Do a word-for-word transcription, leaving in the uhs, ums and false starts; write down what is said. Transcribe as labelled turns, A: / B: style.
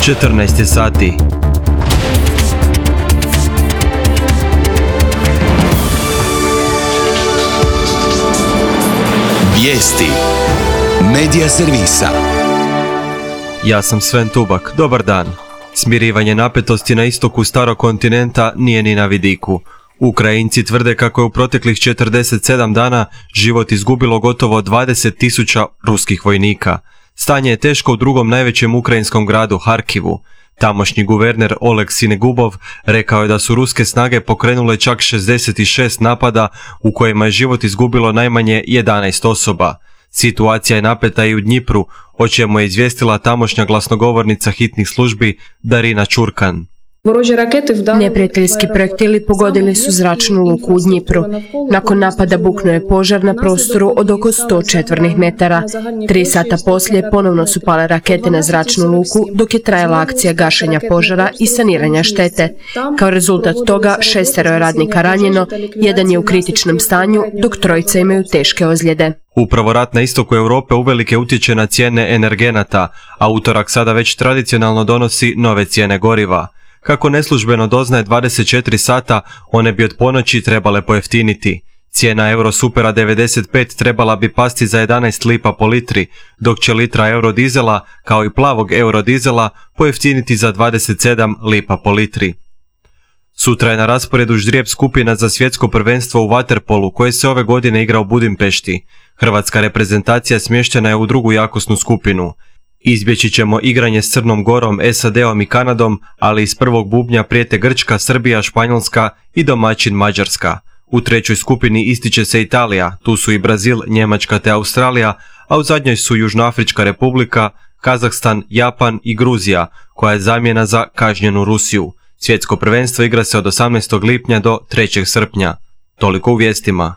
A: četrnaest je sati.
B: Vijesti Medija servisa.
A: Ja sam Sven Tubak, dobar dan. Smirivanje napetosti na istoku starog kontinenta nije ni na vidiku. Ukrajinci tvrde kako je u proteklih četrdeset sedam dana život izgubilo gotovo dvadeset tisuća ruskih vojnika. Stanje je teško u drugom najvećem ukrajinskom gradu Harkivu. Tamošnji guverner Oleg Sinegubov rekao je da su ruske snage pokrenule čak šezdeset šest napada u kojima je život izgubilo najmanje jedanaest osoba. Situacija je napeta i u Dnjipru, o čemu je izvijestila tamošnja glasnogovornica hitnih službi Darina Čurkan.
C: Neprijateljski projektili pogodili su zračnu luku u Dnjipru. Nakon napada buknuo je požar na prostoru od oko sto četvornih metara. Tri sata poslije ponovno su pale rakete na zračnu luku, dok je trajala akcija gašenja požara i saniranja štete. Kao rezultat toga šestero je radnika ranjeno, jedan je u kritičnom stanju, dok trojica imaju teške ozljede.
A: Upravo rat na istoku Europe uvelike utječe na cijene energenata, a utorak sada već tradicionalno donosi nove cijene goriva. Kako neslužbeno doznaje dvadeset četiri sata, one bi od ponoći trebale pojeftiniti. Cijena Eurosupera devedeset pet trebala bi pasti za jedanaest lipa po litri, dok će litra eurodizela, kao i plavog eurodizela, pojeftiniti za dvadeset sedam lipa po litri. Sutra je na rasporedu ždrijeb skupina za svjetsko prvenstvo u vaterpolu koje se ove godine igra u Budimpešti. Hrvatska reprezentacija smještena je u drugu jakosnu skupinu. Izbjeći ćemo igranje s Crnom Gorom, S A D-om i Kanadom, ali iz prvog bubnja prijete Grčka, Srbija, Španjolska i domaćin Mađarska. U trećoj skupini ističe se Italija, tu su i Brazil, Njemačka te Australija, a u zadnjoj su Južnoafrička republika, Kazahstan, Japan i Gruzija, koja je zamjena za kažnjenu Rusiju. Svjetsko prvenstvo igra se od osamnaestog lipnja do trećeg srpnja. Toliko u vijestima.